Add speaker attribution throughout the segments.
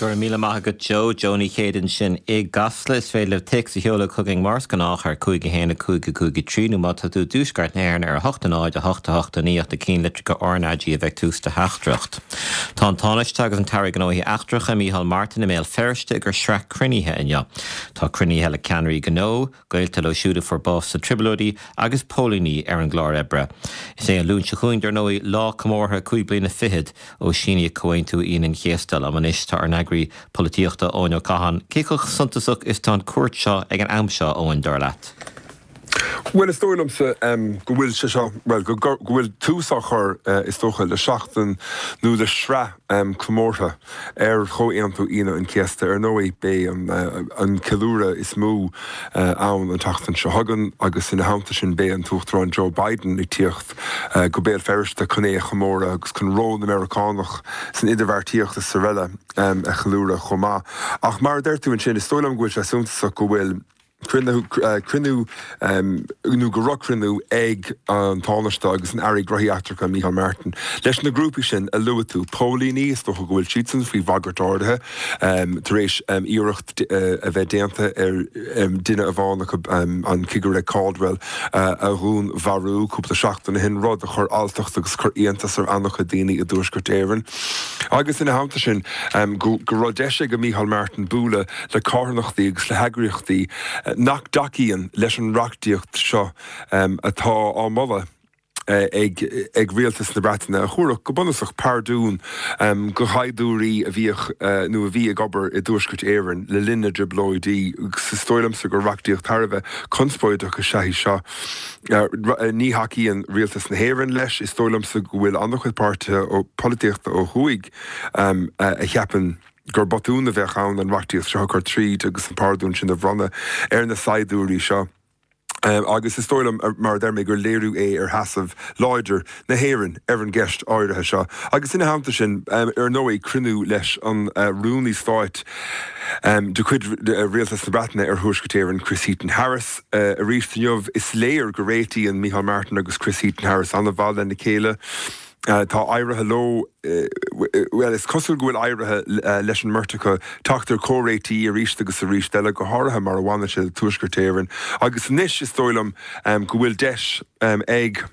Speaker 1: Go raibh míle maith agat Joe. Joe Ní Chéide ansin i gCasla. Is féidir libh téacs a sheoladh chugainn mar is gnách ar 5 1 5 5 3 nó má tá tú i dtuaisceart na hÉireann ar 8 0 8 8 9 ach na cinnlitreacha RnaG a bheith ag tús do theachtaireacht. Tá an Tánaiste agus an tAire Gnóthaí Eachtracha, Micheál Martin i mBéal Feirste ag cur sraith cruinnithe inniu. Tá cruinnithe le ceannairí gnó, gaolta leo siúd a fuair bás sna Trioblóidí agus póilíní ar an gclár oibre. Is é an Luan seo chugainn, dar ndóigh, lá comórtha cúig bliana fichead ó síníodh Comhaontú Aoine an Chéasta. Liom anois tá ár n-eagraí polaitíochta, Eoin Ó Catháin. Cé chomh suntasach is tá an cuairt seo ag an am seo, Eoin, dar leat?
Speaker 2: Bhuel, is dóigh liomsa go bhfuil sé seo, bhuel, go bhfuil tús á chur, is dócha, le seachtain nó le sraith comórtha ar Chomhaontú Aoine an Chéasta. Ar ndóigh, beidh an ceiliúradh is mó ann an tseachtain seo chugainn agus ina theannta sin beidh an tUachtarán Joe Biden ag tíocht go Béal Feirste chun é a chomóradh agus chun ról na Meiriceánach san idirbheartaíocht is araile a cheiliúradh chomh maith. Ach mar a deir tú ansin, is dóigh liom go bhfuil sé suntasach go bhfuil cruinniú, nó go raibh cruinniú ag an Tánaiste agus an Aire Gnóthaí Eachtracha Micheál Martin leis na grúpaí sin a luaigh tú, póilíní, is dócha go bhfuil siadsan faoi bhagairt áirithe tar éis iarracht a bheith déanta ar duine amháin acu, an Cigire Caldwell, a dhúnmharú cúpla seachtain ó shin, rud a chuir alltacht agus a chuir iontas ar an-chuid daoine i dTuaisceart Éireann. Agus ina theannta sin, go raibh deis ag Micheál Martin bualadh le carthanachtaí agus le heagraíochtaí nach dtacaíonn leis an reachtaíocht seo atá á moladh ag Rialtas na Breataine, a thabharfadh, go bunúsach, pardún do shaighdiúirí a bhíodh nó a bhí ag obair i dTuaisceart Éireann le linn na dTrioblóidí. Agus is dóigh liomsa gur reachtaíocht thar a bheith conspóideach is ea í seo. Ní thacaíonn Rialtas na hÉireann leis. Is dóigh liomsa go bhfuil an-chuid páirtithe polaitíochta ó thuaidh a cheapann gur botún a bheadh ann an reachtaíocht seo a chur tríd agus an pardún sin a bhronnadh ar na saighdiúirí seo. Agus is dóigh liom, mar a deir mé, gur léiriú é ar sheasamh láidir na hÉireann ar an gceist áirithe seo. Agus ina theannta sin, ar ndóigh, cruinniú leis an Rúnaí Stáit de chuid Rialtas na Breataine ar Thuaisceart Éireann, Chris Heaton-Harris, arís inniu. Is léir go réitíonn Micheál Martin agus Chris Heaton-Harris an-mhaith lena chéile. Tá éirithe leo, bhuel, is cosúil go bhfuil éirithe leis an mbeirt acu teacht ar chomhréití arís agus arís eile, go háirithe mar a bhaineann sé le Tuaisceart Éireann. Agus anois is dóigh liom go bhfuil deis ag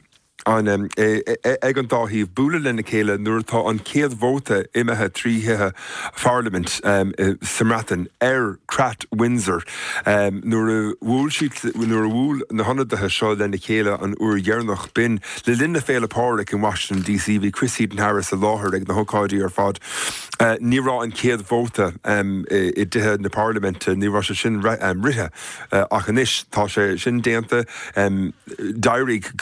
Speaker 2: an ag an dá thaobh bualadh lena chéile nuair atá an chéad vóta imithe trí thithe Pharlaimint sa mBreatain ar Chreat Windsor. Nuair a bhuail siad, nuair a bhuail na hionadaithe seo lena chéile an uair dheireanach, b'in le linn na Féile Pádraig in Washington DC. Bhí Chris Heaton-Harris i láthair ag na hócáidí ar fad. Ní raibh an chéad vóta i dtithe na Parlaiminte, ní raibh sé sin rite ach anois tá sé sin déanta. D'éirigh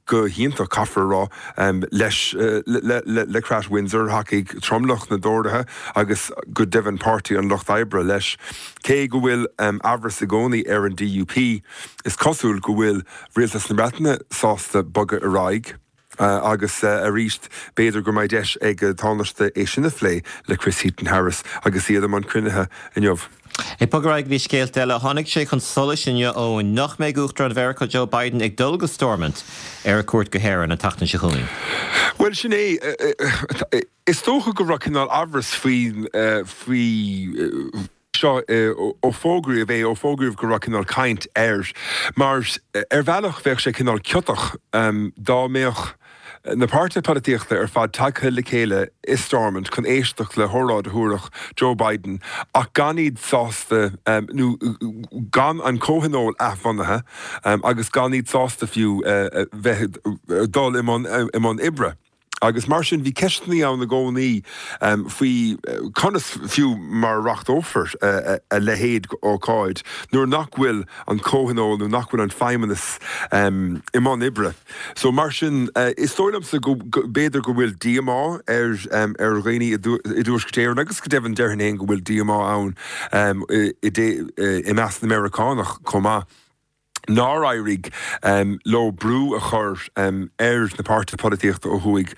Speaker 2: go hiontach, caithfear a rá, leis le Creat Windsor. Thacaigh tromlach na dTóraithe agus go deimhin Páirtí an Lucht Oibre leis. Cé go bhfuil amhras i gcónaí ar an DUP, is cosúil go bhfuil Rialtas na Breataine sásta bogadh ar aghaidh agus arís b'fhéidir go mbeidh deis ag an Tánaiste é sin a phlé le Chris Heaton-Harris agus iad i mbun cruinnithe inniu.
Speaker 1: Ag bogadh ar aghaidh go dtí scéalta eile, tháinig sé chun solais inniu, Eoin, nach mbeidh Uachtarán Mheiriceá Joe Biden ag dul go Stormont ar a chuairt go hÉirinn an tseachtain seo chugainn.
Speaker 2: Bhuel, sin é. Is dócha go raibh cineál amhras faoi faoi. seo ó fógraíodh é, ó fógraíodh go raibh cineál caint air, mar ar bhealach bheadh sé cineál ciotach dá mbeadh na páirtithe polaitíochta ar fad tagtha le chéile i Stormont chun éisteacht le hóráid a thabharfadh Joe Biden ach gan iad sásta nó gan an comhthionól athbhunaithe agus gan iad sásta fiú bheith dul i mbun oibre. Agus mar sin, bhí ceisteanna ann i gcónaí faoi conas fiú mar a reachtófar a leithéid d'ócáid nuair nach bhfuil an comhthionól nó nach bhfuil an feidhmeannas i mbun oibre. So mar sin, is dóigh liomsa go b'fhéidir go bhfuil díomá ar ar dhaoine i dTuaisceart Éireann agus go deimhin déarfainn féin go bhfuil díomá ann i measc na Meiriceánach chomh maith. Nár éirigh leo brú a chur ar na páirtithe polaitíochta ó thuaidh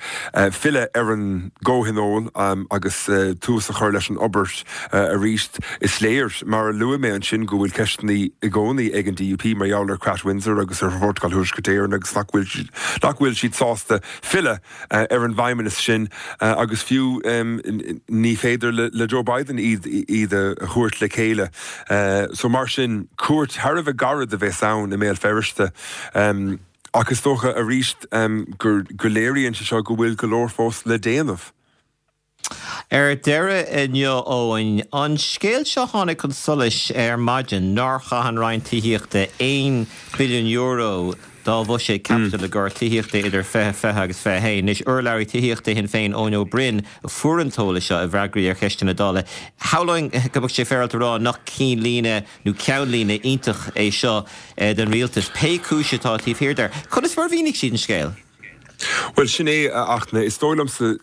Speaker 2: filleadh ar an gcomhthionól agus tús a chur leis an obair arís. Is léir, mar a luaigh mé ansin, go bhfuil ceisteanna i gcónaí ag an DUP mar gheall ar Chreat Windsor agus ar Phrótacal Thuaisceart Éireann agus nach bhfuil siad sásta filleadh ar an bhfeidhmeannas sin agus fiú ní féidir le Joe Biden iad a thabhairt le chéile. So mar sin, cuairt thar a bheith gairid a bheas ann i mBéal Feirste ach is dócha arís go léiríonn sé seo go bhfuil go leor fós le déanamh.
Speaker 1: Ar deireadh inniu, Eoin, an scéal seo a tháinig chun solais ar maidin nár chaith an Roinn Tithíochta €1 billiún dá bhuiséad caipitil i gcomhair tithíochta idir 2020 agus 21. Anois, urlabhraí tithíochta Shinn Féin, Eoin Ó Broin, a fuair an t-eolas seo i bhfreagraí ar cheisteanna Dála. Shamhlóinn go mbeadh sé féaráilte a rá nach cinnlíne nó ceannlíne iontach é seo don rialtas, pé cúis atá taobh thiar de. Conas mar a mhínigh siad an scéal?
Speaker 2: Bhuel, sin é, a Fhachtna. Is dóigh liomsa,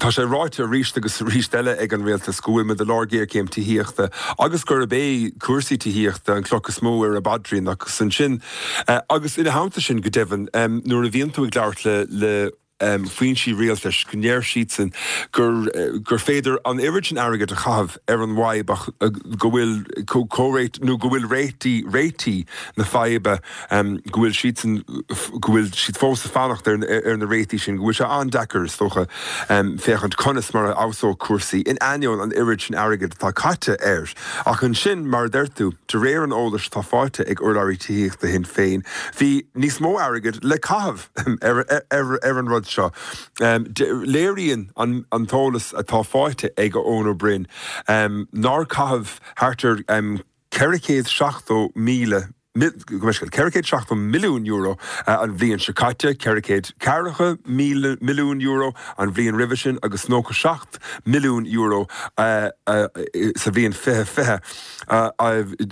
Speaker 2: tá sé ráite arís agus arís eile ag an Rialtas go bhfuil muid i lár géarchéim tithíochta agus gurb é cúrsaí tithíochta an chloch is mó ar a bpaidrín agus ansin, agus ina theannta sin, go deimhin, nuair a bhíonn tú ag labhairt le le foinsí rialtais, go ndeir siadsan gur gur féidir an oiread sin airgid a chaitheamh ar an bhfadhb ach go bhfuil comhréit nó go bhfuil réitigh réitigh na faidhbe go bhfuil siadsan, go bhfuil siad fós ag fanacht ar na réitigh sin, go bhfuil sé an-deacair, is dócha, féachaint conas mar a fheabhsódh cúrsaí, in ainneoin an oiread sin airgid atá caite air. Ach ansin, mar a deir tú, de réir an eolais atá faighte ag urlabhraí tithíochta Shinn Féin, bhí níos mó airgid le caitheamh ar an rud seo. Léiríonn an t-eolas atá faighte ag Eoin Ó Broin nár caitheadh thart ar 470,000, €470 milliún an bhliain seo caite, €440 milliún an bhliain roimhe sin agus €97 milliún sa bhliain 2020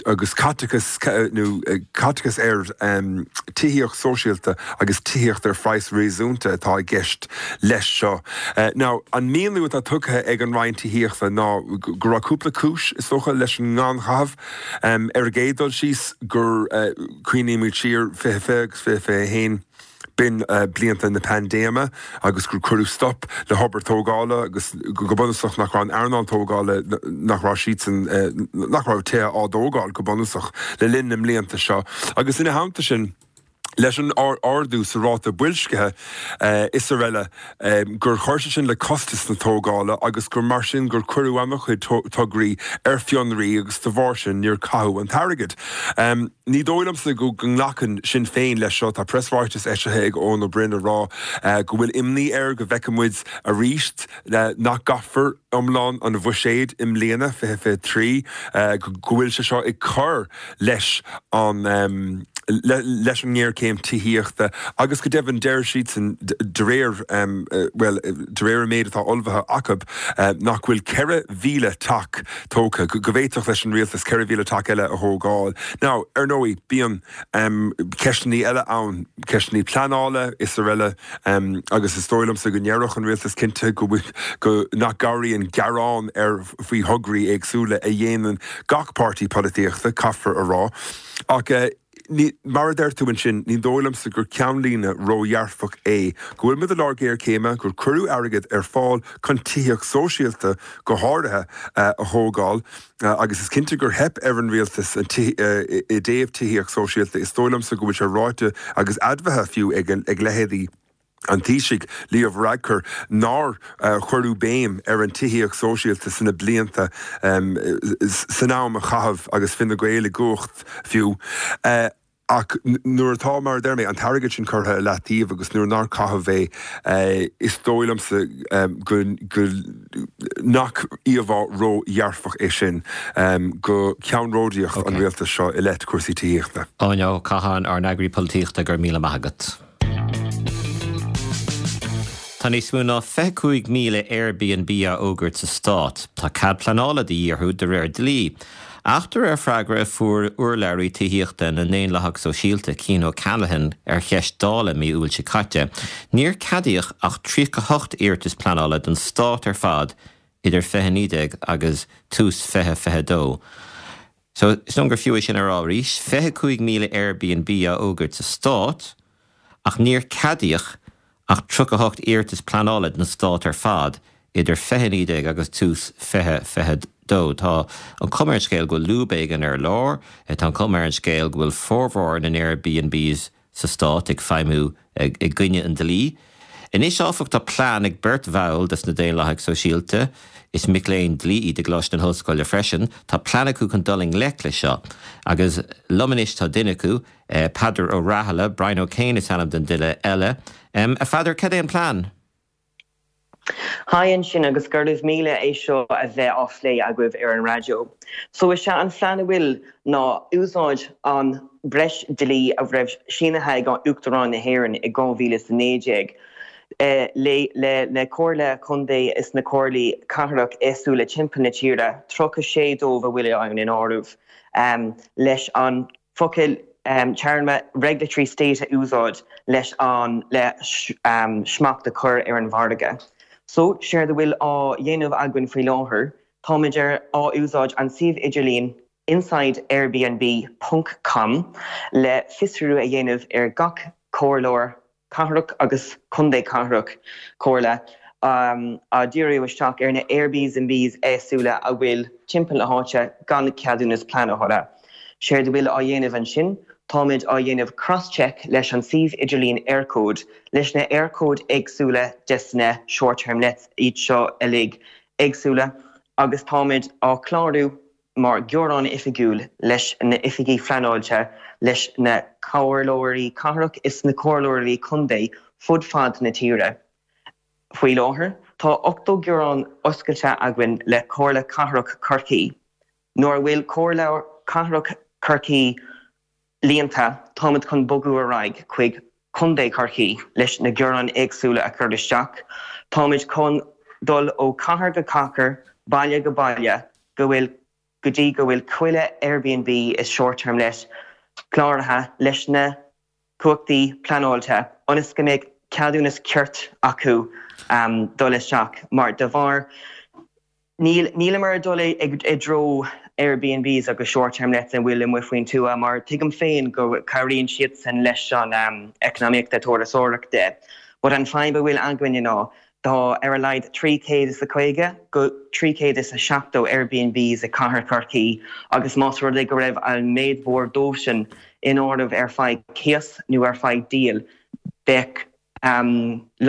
Speaker 2: agus caiteachas nó caiteachas ar tithíocht sóisialta agus tithíocht ar phraghas réasúnta atá i gceist leis seo. Now, an míniú atá tugtha ag an Roinn Tithíochta ná go raibh cúpla cúis, is dócha, leis an ngannchaitheamh. Ar an gcéad dul síos, gur cuimhnímid siar 2020 agus 2021, b'in blianta na paindéime agus gur cuireadh stop le hobair tógála agus go bunúsach nach raibh an earnáil tógála, nach raibh siadsan, nach raibh tithe á dtógáil go bunúsach le linn na mblianta seo. Agus ina theannta sin, leis an ardú sa ráta boilscithe is araile, gur chuir sé sin le costas na tógála agus gur mar sin gur cuireadh an-chuid tograí ar fionraí agus de bharr sin níor caitheadh an t-airgead. Ní dóigh liomsa go nglacann Sinn Féin leis seo. Tá preasráiteas eisithe ag Eoin Ó Broin ag rá go bhfuil imní air go bhfeicfidh muid arís nach gcaithfear iomlán an bhuiséid i mbliana, 2023, go bhfuil sé seo ag cur leis an leis an ngéarchéim tithíochta agus go deimhin deir siadsan de réir, bhuel, de réir an méid atá ullmhaithe acu, nach bhfuil 4,000 teach tógtha, go bhféadfadh leis an rialtas 4,000 teach eile a thógáil. Now, ar ndóigh, bíonn ceisteanna eile ann, ceisteanna pleanála is araile agus is dóigh liomsa go ndéarfadh an rialtas cinnte go bhfuil, go, nach gcabhraíonn gearán ar faoi thograí éagsúla a dhéanann gach páirtí polaitíochta, caithfear a rá. Ach ní, mar a deir tú ansin, ní dóigh liomsa gur ceannlíne ródhearfach é go bhfuil muid i lár géarchéime, gur cuireadh airgead ar fáil chun tithíocht sóisialta go háirithe a thógáil agus is cinnte gur theip ar an rialtas i dtaobh tithíocht sóisialta. Is dóigh liomsa go bhfuil sé ráite agus admhaithe fiú ag leithéidí an Taoisigh, Leo Varadkar, nár cuireadh béim ar an tithíocht sóisialta sna blianta, san am a caitheadh agus Fine Gael i gcumhacht fiú. Ach nuair atá, mar a deir mé, an t-airgead sin curtha i leataobh agus nuair nár caitheadh é, is dóigh liomsa go nach íomhá ró-dhearfach é sin go ceannródaíocht an rialtais seo i leith cúrsaí tithíochta.
Speaker 1: Eoin Ó Catháin, ár n-eagraí polaitíochta, go raibh míle maith agat. Tá níos mó ná 25,000 Airbnb á fhógairt sa stát. Tá cead pleanála de dhíth orthu de réir dlí. Ach de réir freagra a fuair urlabhraí tithíochta na nDaonlathach Sóisialta, Cian O'Callaghan, ar cheist Dála mí Iúil seo caite, níor ceadaíodh ach 38 iarratas pleanála don stát ar fad idir 2019 agus tús 2022. So, is dóigh liom gur fiú é sin a rá arís, 25,000 Airbnb á fhógairt sa stát, ach níor ceadaíodh ach 38 iarratas pleanála don stát ar fad idir 2019 agus tús 2022. Tá an chuma ar an scéal go bhfuil lúb éigin ar lár, tá an chuma ar an scéal go bhfuil formhór na n-Airbnbs sa stát ag feidhmiú i gcoinne an dlí. Anois, áfach, tá plean ag beirt bhall des na Daonlathaigh Sóisialta, is mic léinn dlí iad i gColáiste na hOllscoile freisin, tá plean acu chun dul i ngleic leis seo. Agus liom anois tá duine acu, Peadar Ó Rathaille, Brian O'Kane is ainm don duine eile. A Pheadair, cad é an plean?
Speaker 3: Haigh ansin agus go raibh míle é seo a bheith á phlé agaibh ar an raidió. So is ea an phlean a bhfuil ná úsáid an breis dlí a raibh sínithe ag Uachtarán na hÉireann i 2019 le le na comhairle contae is na comhairlí cathrach éagsúla timpeall na tíre, 36 dóibh a bhfuil ann in áireamh, leis an focal téarma regulatory state a úsáid leis an le smacht a chur ar an mhargadh. So, séard a bhfuil á dhéanamh againn faoi láthair, táimid ar á úsáid an suíomh idirlín insideairbnb ponc com le fiosrú a dhéanamh ar gach comhairleoir cathrach agus contae cathrach, comhairle, á díriú isteach ar na Airbnbs éagsúla a bhfuil timpeall na háite gan ceadúnas pleanála. Séard a bhfuil á dhéanamh ansin, táimid á dhéanamh cross-check leis an suíomh idirlín Eircode, leis na Eircode éagsúla des na short-term lets iad seo uilig éagsúla agus táimid á clárú mar ghearán oifigiúil leis na oifigigh phleanáilte, leis na comhairleoirí cathrach is na comhairleoirí contae fud fad na tíre. Faoi láthair, tá 80 gearán oscailte againn le Comhairle Cathrach Chorcaí. Nuair a bhfuil Comhairle Cathrach Chorcaí líonta, táimid chun bogadh ar aghaidh chuig Contae Chorcaí leis na gearáin éagsúla a chur isteach. Táimid chun dul ó chathair go cathair, baile go baile, go bhfuil go dtí go bhfuil chuile Airbnb is short term let cláraithe leis na cumhachtaí pleanáilte ionas go mbeidh ceadúnas ceart acu dul isteach mar de bharr Níl, níleamar ag dul i dtreo Airbnbs agus short term lets a bhfuil amuigh faoin tuath mar tuigim féin go cabhraíonn siadsan leis an eacnamaíochta turasóireachta but an fadhb a bhfuil againne ná tá ar a laghad 350 go 370 Airbnbs i cathair Chorcaí agus más rud é go raibh an méid mhór dóibhsean in áireamh ar feadh cíos nó ar feadh díol bheadh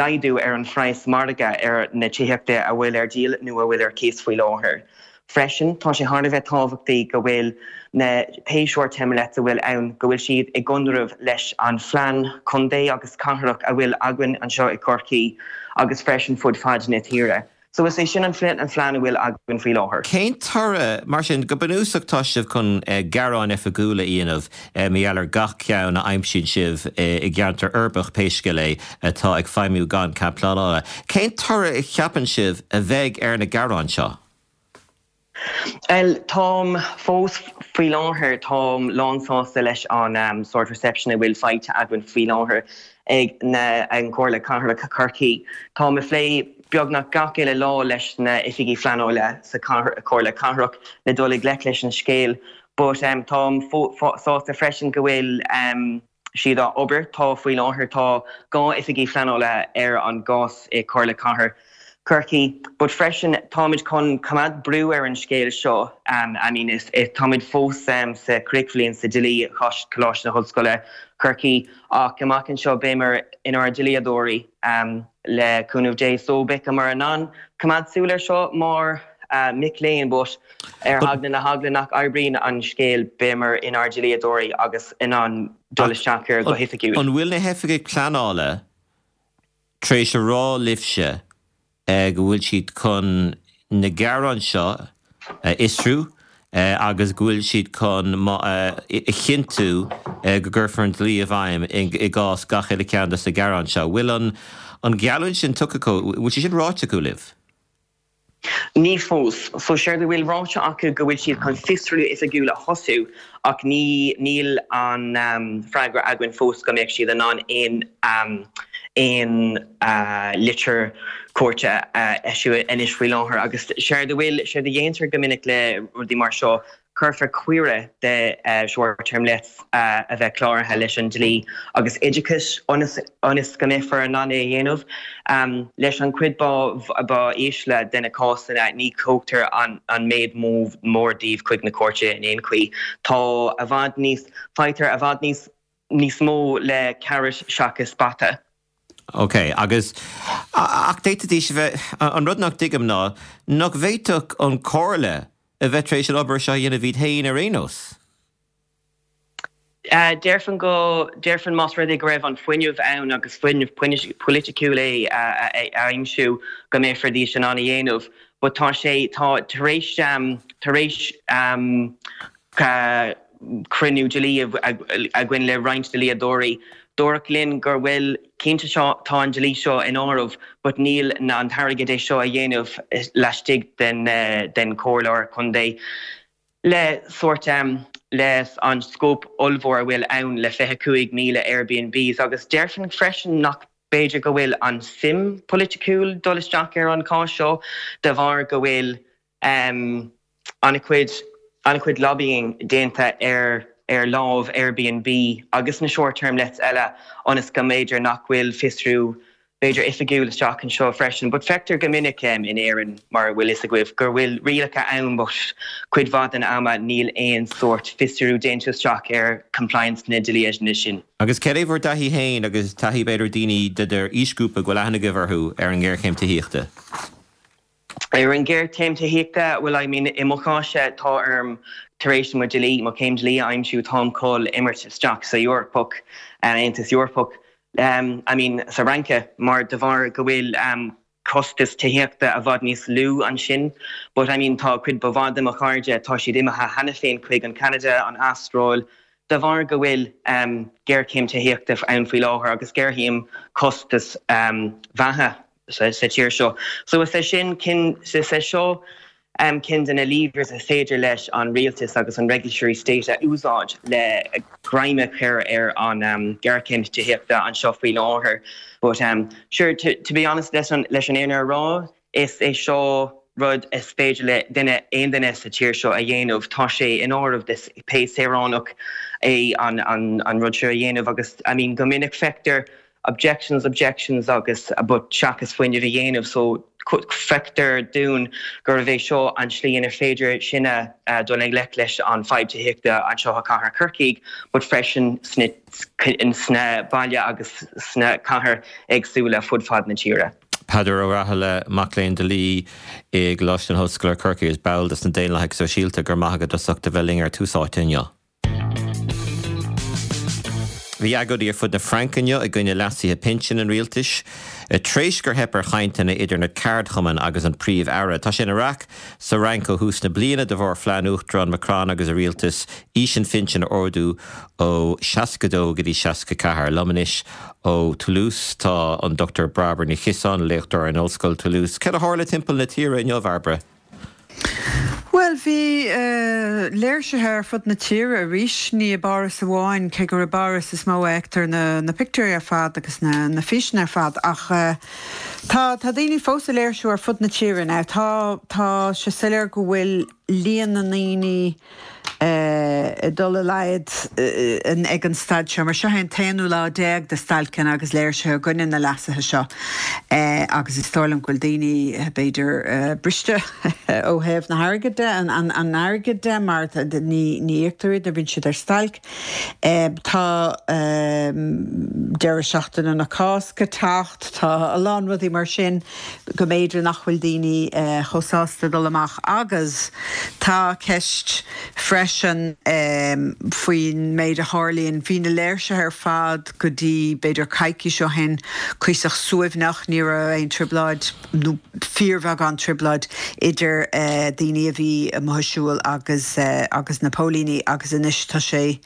Speaker 3: laghdú ar an phraghas margaidh ar na tithíochta a bhfuil ar díol nó a bhfuil ar cíos faoi láthair. Freisin, tá sé thar a bheith tábhachtaí go bhfuil na pé short term lets a bhfuil ann, go bhfuil siad i gconradh leis an phlean contae agus cathrach a bhfuil againn anseo i gCorcaigh agus freisin fud fad na tíre. So is é sin an phlean a bhfuil againn faoi láthair.
Speaker 1: Cén toradh, mar sin? Go bunúsach tá sibh chun gearáin oifigiúla a dhéanamh mar gheall ar gach ceann a aimsíonn sibh i gceantar uirbeach, pé scéal é, atá ag feidhmiú gan cead pleanála. Cén toradh a cheapann sibh a bheidh ar na gearáin seo?
Speaker 3: Bhuel, táim fós faoi láthair, táim lánsásta leis an sórt reception a bhfuil faighte againn faoi láthair ag na, an Chomhairle Cathrach Chorcaí. Táim ag plé beagnach gach uile lá leis na oifigigh phleanála sa Chomhairle Cathrach le dul i ngleic leis an scéal but táim sásta freisin go bhfuil siad á obair. Tá faoi láthair tá 2 oifigigh phleanála ar an gcás i Comhairle Cathair Chorcaí but freisin táimid chun coimeád brú ar an scéal seo I mean is táimid fós sa chríochbhliain sa dlí i Coláiste na hOllscoile Chorcaí ach amach anseo beimid inár ndlíodóirí le cúnamh Dé so beimid in ann coimeád súil ar seo mar mic léinn but ar eagla na heagla nach oibríonn an scéal beimid inár ndlíodóirí agus in ann dul isteach air go hoifigiúil.
Speaker 1: An bhfuil na hoifigigh pleanála tar éis a rá libhse go bhfuil siad chun na gearáin seo a fhiosrú agus go bhfuil siad chun a chinntiú go gcuirfear an dlí i bhfeidhm i gcás gach uile cheann de na gearáin seo. Bhfuil an gheallúint sin tugtha acu, bhfuil sé sin ráite acu libh?
Speaker 3: Ní fós. So séard a bhfuil ráite acu go bhfuil siad chun fiosrú oifigiúil a thosú ach ní níl an freagra againn fós go mbeadh siad in ann aon aon litir cúirte a eisiú anois faoi láthair agus séard a bhfuil séard a dhéantar go minic le rudaí mar seo. Cuirfear cuireadh de short term lets a bheith cláraithe leis an dlí agus oideachais ionas ionas go mbeifear in ann é a dhéanamh. Leis an chuid ba ísle de na cásanna ní thógtar an méid mór díobh chuig na cúirte in aon chaoi. Tá i bhfad níos, faightear i bhfad níos níos mó le carrot seachas bata.
Speaker 1: Ok, agus, ach d'fhéadfaidís a bheith, an rud nach dtuigim ná nach bhféadfadh an Chomhairle a bheith tar éis an obair seo a dhéanamh iad féin ar aon nós?
Speaker 3: Déarfainn go, déarfainn más rud é go raibh an fuinneamh ann agus fuinneamh poiliticiúil é a aimsiú go mbeifidís in ann a dhéanamh but tá sé, tá, tar éis, tar éis cruinniú dlí againn le roinnt dlíodóirí. Dúradh linn gur bhfuil, cinnte seo, tá an dlí seo in áireamh but níl an t-airgead é seo a dhéanamh laistigh den den comhairleoir contae le sórt le an scóip ollmhór a bhfuil ann le 25,000 Airbnbs agus déarfainn freisin nach b'fhéidir go bhfuil an suim polaiticiúil dul isteach ar an cás seo de bharr go bhfuil an-chuid an-chuid lobbying déanta ar ar lámh Airbnb agus na short term lets eile ionas go mb'fhéidir nach bhfuil fiosrú b'fhéidir oifigiúil isteach anseo freisin. But feictear go minic in Éirinn mar a bhfuil fhios agaibh gur bhfuil rialacha ann but cuid mhaith den ama níl aon sórt fiosrú déanta isteach ar compliance na dlíthe sin.
Speaker 1: Agus céard é bhur dtaithí féin agus taithí b'fhéidir daoine de d'aoisghrúpa go bhfuil aithne agaibh orthu ar an ngéarchéim tithíochta?
Speaker 3: Ar an ngéarchéim tithíochta, bhuel, I mean, i mo chás-se, tá orm, tar éis mo dlí, mo chéim dlí a aimsiú, táim chun imirt isteach sa Eorpach, an Aontas Eorpach, I mean, sa Fhraince, mar de bharr go bhfuil costas tithíochta i bhfad níos lú ansin. But, I mean, tá cuid ba mhaith de mo chairde, tá siad imithe cheana féin chuig an Canada, an Astráil, de bharr go bhfuil géarchéim tithíochta ann faoi láthair agus géarchéim costas bheatha. sa tír seo. So is é sin cinn, is é seo cinn de na levers is féidir leis an rialtas agus an regulatory state a úsáid le greim a chur ar an géarchéim tithíochta anseo faoi láthair. But sure, to, to be honest, leis an, leis an fhírinne a rá, is é seo rud is féidir le duine, aon duine sa tír seo a dhéanamh. Tá sé in áireamh de pé saoránach é an, an, an rud seo a dhéanamh agus I mean go minic feictear objections, objections agus but seachas fuinneamh a dhéanamh so feictear dúinn gurbh é seo an tslí inar féidir sinne dul i ngleic leis an fadhb tithíochta anseo i cathair Chorcaí but freisin sna sna baile agus sna cathair éagsúla fud fad na tíre.
Speaker 1: Peadar Ó Rathaille, mac léinn dlí i gColáiste na hOllscoile Corcaigh agus ball de na Daonlathaigh Sóisialta, go raibh maith agat as ucht a bheith linn ar Tús Áite inniu. Bhí agóidí ar fud na Fraince inniu i gcoinne leasuithe pinsin an rialtais, tar éis gur theip ar chainteanna idir na ceardchumainn agus an Príomh-Aire. Tá sé ina raic sa Fhrainc ó thús na bliana de bharr phlean Uachtarán Macron agus a rialtas aois an phinsin a ardú ó 62 go dtí 64. Liom anois ó Toulouse tá an Dr Bairbre Ní Chiosáin, léachtóir in Ollscoil Toulouse. Céard a tharla timpeall na tíre inniu, a Bhairbre?
Speaker 4: Bhuel, bhí léirsithe ar fud na tíre arís, ní i bPáras amháin, cé gur i bPáras is mó a fheictear na pictiúirí ar fad agus na físeanna ar fad, ach tá tá daoine fós ag léirsiú ar fud na tíre. Now tá tá sé soiléir go bhfuil líon na ndaoine ag dul i laghad ag an staid seo, mar seo é an t-aonú lá déag de stailceanna agus léirsithe i gcoinne na leasuithe seo agus is dóigh liom go bhfuil daoine, b'fhéidir, briste ó thaobh na hairgid de, an airgid de, mar ní íoctar iad nuair a bhíonn siad ar stailc. Tá deireadh seachtaine na Cásca ag teacht, tá a lán rudaí mar sin. go mb'fhéidir nach bhfuil daoine chomh sásta dul amach agus tá ceist freisin faoin méid a tharlaíonn. Bhí na léirsithe ar fad go dtí b'fhéidir coicís ó shin cuíosach suaimhneach, ní raibh aon trioblóid nó fíorbheagán trioblóid idir daoine a bhí amuigh ag siúl agus agus na póilíní agus anois tá sé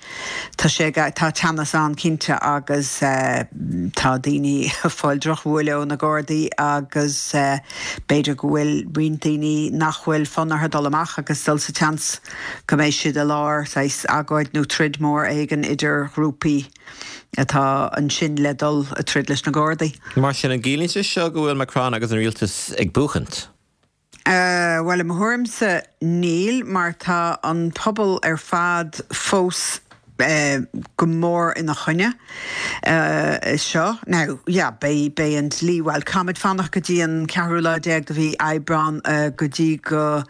Speaker 4: Tá sé, tá teannas ann cinnte agus tá daoine ag fáil drochbhuaile ó na Gardaí agus b'fhéidir go bhfuil roinnt daoine nach bhfuil fonn orthu dul amach agus dul sa tseans go mbeidh siad i lár saghas agóid nó troid mór éigin idir ghrúpaí atá ansin le dul ag troid leis na Gardaí.
Speaker 1: Mar sin, an gciallaíonn sé seo go bhfuil Macron agus an rialtas ag buachaint?
Speaker 4: Bhuel, i mo thuairimse, níl, mar tá an pobal ar fad fós go mór ina choinne seo. Now, yeah, beidh, beidh an dlí, bhuel, caithfimid fanacht go dtí an ceathrú lá déag de mhí Aibreán go dtí go,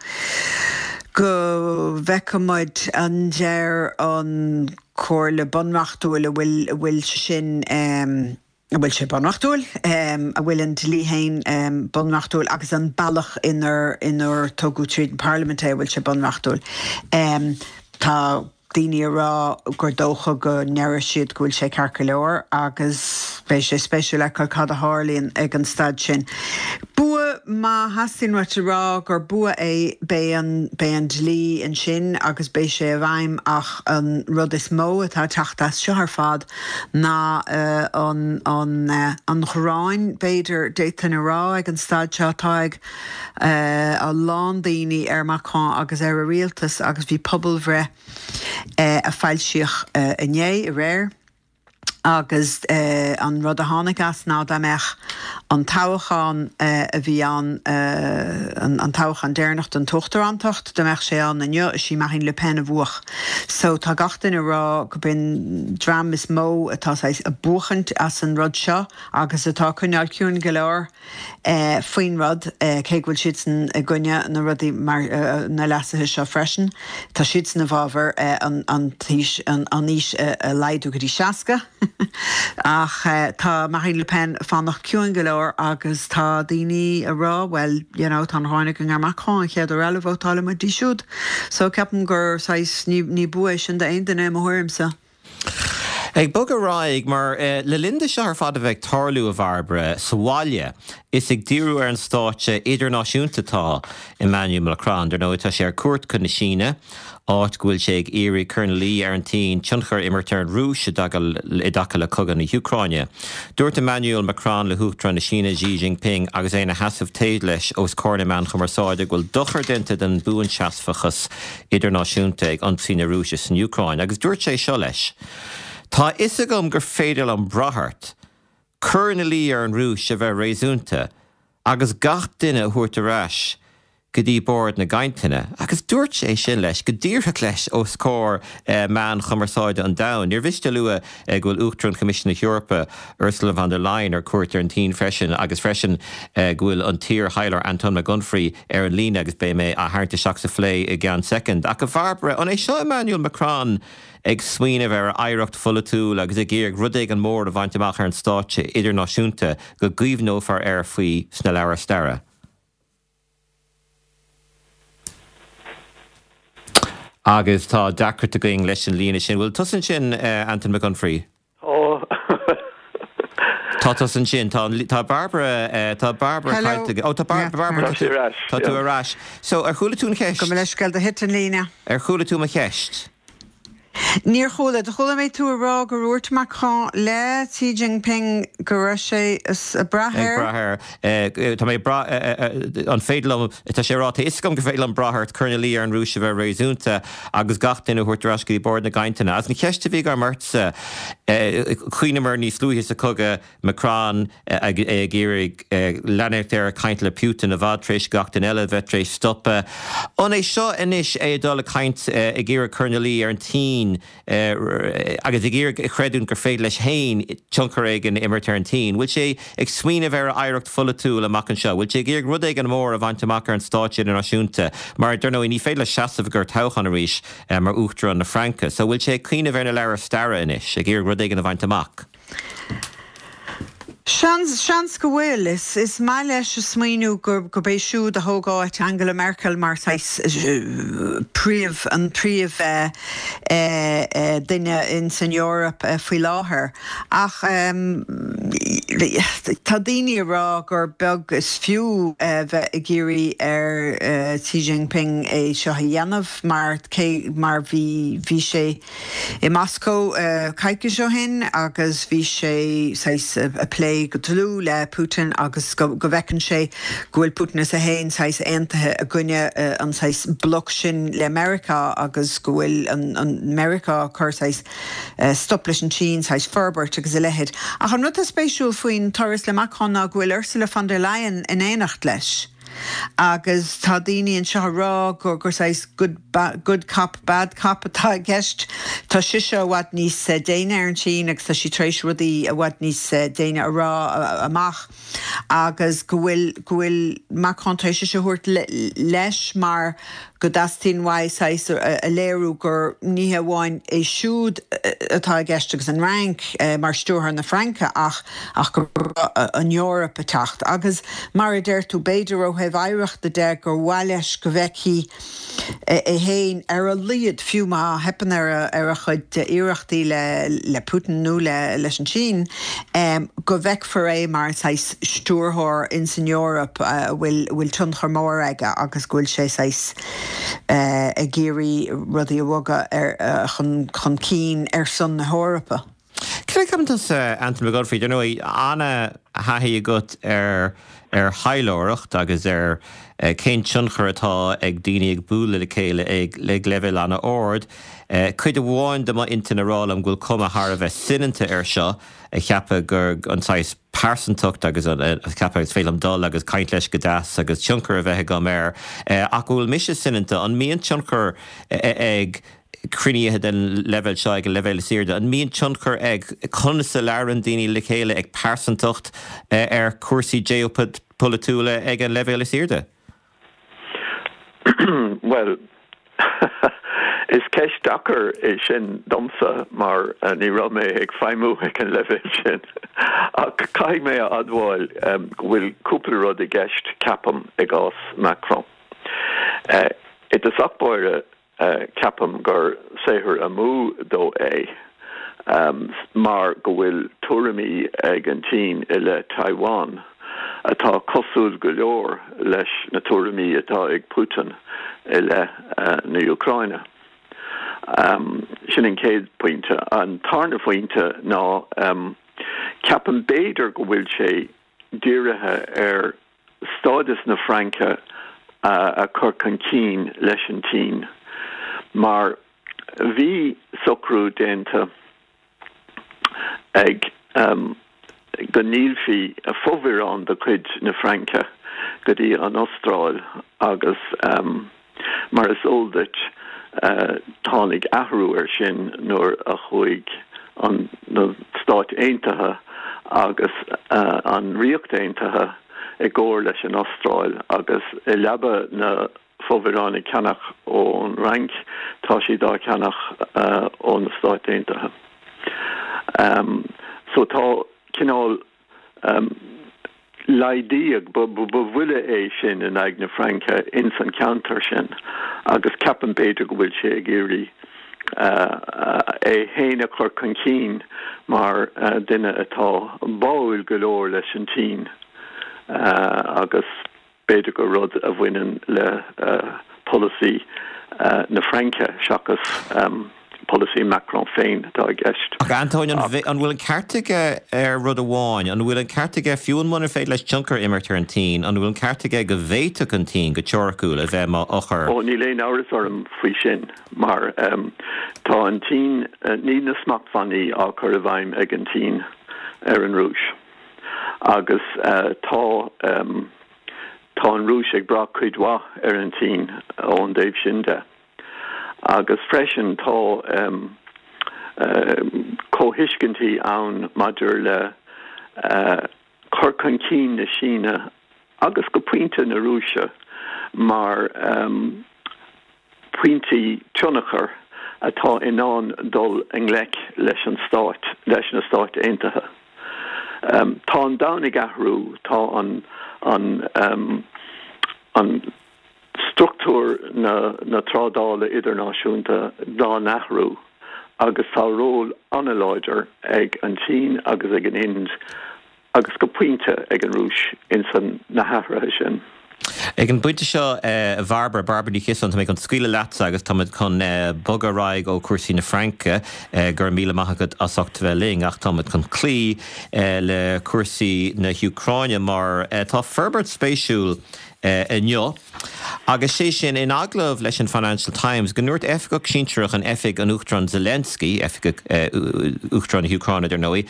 Speaker 4: go bhfeicfimid an deir an Comhairle Bunreachtúil a bhfuil, a bhfuil sé sin, an bhfuil sé bunreachtúil, an bhfuil an dlí féin bunreachtúil agus an bealach inar inar tugadh tríd an bparlaimint é, an bhfuil sé bunreachtúil. Tá daoine ag rá gur dócha go ndéarfaidh siad go bhfuil sé ceart go leor agus beidh sé spéisiúil fheiceáil cad a tharlaíonn ag an staid sin. Bua, má theastaíonn uait a rá gur bua é, beidh an beidh an dlí ansin agus beidh sé i bhfeidhm ach an rud is mó atá ag teacht as seo ar fad ná an an ghráin, b'fhéidir, d'fhéadfainn a rá ag an staid seo, atá ag a lán daoine ar Macron agus ar a rialtas agus bhí pobalbhreith a foilsíodh inné, aréir, agus an rud a tháinig as ná dá mbeadh an toghchán a bhí ann, an toghchán deireanach don t-uachtarántacht, dá mbeadh sé ann inniu, is í Marine Le Pen a bhuafadh. So tá gach duine ag rá gurb in dream is mó atá saghas ag buachaint as an rud seo agus atá ag coinneáil ciúin go leor faoin rud, cé go bhfuil siadsan i gcoinne na rudaí mar na leasuithe seo freisin. Tá siadsan i bhfabhar an an t-aois an aois a laghdú go dtí 60. Ach tá Marine Le Pen ag fanacht ciúin go leor agus tá daoine ag rá bhuel, you know, tá an ghráin againn ar Macron, an chéad uair eile vótálfaidh muid di siúd. So ceapaim gur saghas, ní, ní bua é sin d'aon duine i mo thuairimse.
Speaker 1: Ag bogadh ar aghaidh, mar le linn do seo ar fad a bheith ag tarlú, a Bhairbre, sa bhaile, is ag díriú ar an stáitse idirnáisiúnta atá Emmanuel Macron. Dar ndóigh, tá sé ar cuairt chun na Síne, áit go bhfuil sé ag iarraidh cur ina luí ar an tSín tionchar a imirt ar an Rúis i dtaca le cogadh na hÚcráine. Dúirt Emmanuel Macron le hUachtarán na Síne Xi Jinping agus é ina sheasamh taobh leis os comhair na meán chumarsáide go bhfuil dochar déanta don bhuanseasmhachas idirnáisiúnta ag ionsaí na Rúise san Úcráin agus dúirt sé seo leis, Tá a fhios agam gur féidir liom brath ort. Cur ina luí ar an Rúis a bheith réasúnta agus gach duine a thabhairt ar ais go dtí bord na gcainteanna. Agus dúirt sé sin leis, go díreach leis, os comhair meáin chumarsáide an domhain. Níor mhiste a lua go bhfuil Uachtarán Choimisiún na hEorpa, Ursula von der Leyen, ar cuairt ar an tSín freisin agus freisin go bhfuil an t-iar-thaidhleoir Antóin Mac Unfraidh ar an líne agus beidh mé á tharraingt isteach sa phlé i gceann soicind. Ach a Bhairbre, an é seo Emmanuel Macron ag smaoineamh ar a oidhreacht pholaitiúil agus ag iarraidh rud éigin mór a bhaint amach ar an stáitse idirnáisiúnta go gcuimhneofar air faoi sna leabhair staire. Agus tá deacracht againn leis an líne sin. Bhfuil tusa ansin, Antain Mac Unfraidh?
Speaker 5: Tá.
Speaker 1: Tá tusa ansin. Tá, tá Barbara, tá Barbara
Speaker 4: Hello.
Speaker 1: caillte. Ó, tá Bar, Barbara,
Speaker 5: Tá sí ar ais,
Speaker 1: tá tú ar ais. So, ar chuala tú an cheist?
Speaker 4: Gabh mo leithscéal, do thit an líne.
Speaker 1: Ar chuala tú mo cheist?
Speaker 4: Níor chuala. Do chuala mé tú ag rá gur dhúirt Macron le Xi Jinping go raibh sé ag brath
Speaker 1: Ag
Speaker 4: air.
Speaker 1: brath air. Tá mé ag brath, an féidir liom, tá sé ag rá, tá a fhios agam gur féidir liom brath ort, cur ina luí ar an Rúis a bheith réasúnta agus gach duine a thabhairt ar ais go dtí bord na gcainteanna. Agus an cheist a bhí agam ortsa, chuimhníomar níos luaithe sa chogadh, Macron ag iarraidh leanacht air ag caint le Putin i bhfad tar éis gach duine eile a bheith tar éis stopadh. An é seo anois é ag dul ag caint, ag iarraidh cur ina luí ar an tSín agus ag iarraidh a chreidiúint gur féidir leis féin tionchar éigin a imirt ar an tSín? Bhfuil sé ag smaoineamh ar a oidhreacht pholaitiúil amach anseo? Bhfuil sé ag iarraidh rud éigin mór a bhaint amach ar an stáitse idirnáisiúnta? Mar, dar ndóigh, ní féidir leis seasamh i gcomhair toghcháin arís mar Uachtarán na Fraince. So, bhfuil sé ag cuimhneamh ar na leabhair staire anois, ag iarraidh rud éigin a bhaint amach?
Speaker 4: Seans, seans go bhfuil. Is, is maith leis a smaoineamh gur, gurb é siúd a thóg áit Angela Merkel mar saghas príomh, an príomh duine ins an Eoraip faoi láthair. Ach tá daoine ag rá gur beag is fiú bheith ag iarraidh ar Xi Jinping é seo a dhéanamh mar cé mar bhí, bhí sé, i Moscó coicís ó shin agus bhí sé saghas ag plé go dlúth le Putin agus go bhfeiceann sé go bhfuil Putin is é féin saghas aontaithe i gcoinne an saghas bloc sin le Meiriceá agus go bhfuil an Meiriceá ag cur saghas stop leis an tSín saghas forbairt agus a leithéid. Ach an rud atá spéisiúil faoin turas le Macron ná go bhfuil Ursula von der Leyen in éineacht leis. Agus tá daoine anseo ag rá gur gur saghas good good cop, bad cop atá i gceist. Tá sise i bhfad níos déine ar an tSín agus tá sí tar éis rudaí i bhfad níos déine a rá amach agus go bhfuil go bhfuil Macron tar éis sise a thabhairt leis mar go dteastaíonn uaidh saghas a léiriú gur ní hé amháin é siúd atá i gceist agus an Fhrainc mar stiúrthóir na Fraince ach ach go raibh an Eoraip ag teacht. Agus mar a deir tú, b'fhéidir ó thaobh oidhreachta de gur mhaith leis go bhfeicfí é féin ar a laghad, fiú má theipeann ar a chuid iarrachtaí le Putin nó leis an tSín, go bhfeicfear é mar saghas stiúrthóir ins an Eoraip a bhfuil tionchar mór aige agus go bhfuil sé saghas ag iarraidh rudaí a bhogadh chun cinn ar son na hEorpa.
Speaker 1: Cad a cheapann tusa, Antain Mac Gobfraidh? Ar ndóigh, ana-thaithí agat ar ar thaidhleoireacht agus ar cén tionchar atá ag daoine ag bualadh le chéile ag leibhéal ana-ard. Cuid amháin de m'intinn ag rá liom go bhfuil cuma thar a bheith soineanta air seo, ag ceapadh gur an saghas pearsantacht agus ag ceapadh is féidir liom dul agus caint leis go deas agus tionchar a bheith agam air. Ach go bhfuil mise soineanta, an mbíonn tionchar ag cruinnithe den leibhéal seo ag an leibhéal is airde, an mbíonn tionchar ag conas a labhrann daoine le chéile, ag pearsantacht ar chúrsaí geopholaitiúla ag an leibhéal is airde?
Speaker 5: Bhuel, is ceist deacair é sin domsa mar ní raibh mé ag feidhmiú ag an leibhéal sin. Ach caithfidh mé a admháil go bhfuil cúpla rud i gceist, ceapaim, i gcás Macron. I dtosach báire, Ceapaim gur saothar amú dó é mar go bhfuil tuairimí ag an tSín i leith Taiwan atá cosúil go leor leis na tuairimí atá ag Putin i leith na Úcráine. Sin an chéad phointe. An tarna phointe ná ceapaim b'fhéidir go bhfuil sé dírithe ar stádas na Fraince a chur chun cinn leis an tSín, mar bhí socrú déanta ag go ndíolfaí fomhuireán de chuid na Fraince go dtí an Astráil agus mar is eol duit tháinig athrú air sin nuair a chuaigh an na Stáit Aontaithe agus an Ríocht Aontaithe i gcomhar leis an Astráil agus i leaba na fomhuireáin a cheannach ón Fhrainc, tá siad á cheannach ó na Stáit Aontaithe. So tá cineál Laghdaíodh, ba bhuille é sin in aghaidh na Fraince ins an cheantar sin agus ceapaim b'fhéidir go bhfuil sé ag iarraidh é fhéin a chur chun cinn mar duine atá báúil go leor leis an tSín agus B'fhéidir gur rud a bhaineann le polasaí na Fraince seachas polasaí Macron féin atá i gceist.
Speaker 1: Ach Antóin, an bhfuil an ceart aige ar rud amháin? An bhfuil an ceart aige, fiú muna féidir leis tionchar a imirt ar an tSín, an bhfuil an ceart aige go bhféadfadh an tSín, go teoiriciúil, a bheith mar eochair?
Speaker 5: Ó, níl aon amhras orm faoi sin, mar tá an tSín, níl na smachtbhannaí á cur i bhfeidhm ag an tSín ar an Rúis. Agus tá, tá an Rúis ag brath cuid mhaith ar an tSín ón dtaobh sin de. Agus freisin tá comhthuiscintí ann maidir le cur chun cinn na Síne agus go pointe na Rúise mar pointí tionchair atá in ann dul i ngleic leis an Stát, leis na Stáit Aontaithe. Tá an domhan ag athrú, tá an, an, an struchtúr na, na trádála idirnáisiúnta dá n-athrú agus tá ról an-láidir ag an tSín agus ag an Ind agus go pointe ag an Rúis ins na hathruithe sin.
Speaker 1: Ag an bpointe seo, a Bhairbre, Bairbre Ní Chiosáin, tá mé chun scaoileadh leatsa agus táimid chun bogadh ar aghaidh ó chúrsaí na Fraince, go raibh míle maith agat as ucht a bheith linn, ach táimid chun cloí le cúrsaí na hÚcráine mar tá forbairt spéisiúil inniu. Agus sé sin, in agallamh leis an Financial Times, go ndúirt oifigeach sinsearach in oifig an Uachtaráin Zelensky, oifigeach Uachtarán na hÚcráine, dar ndóigh,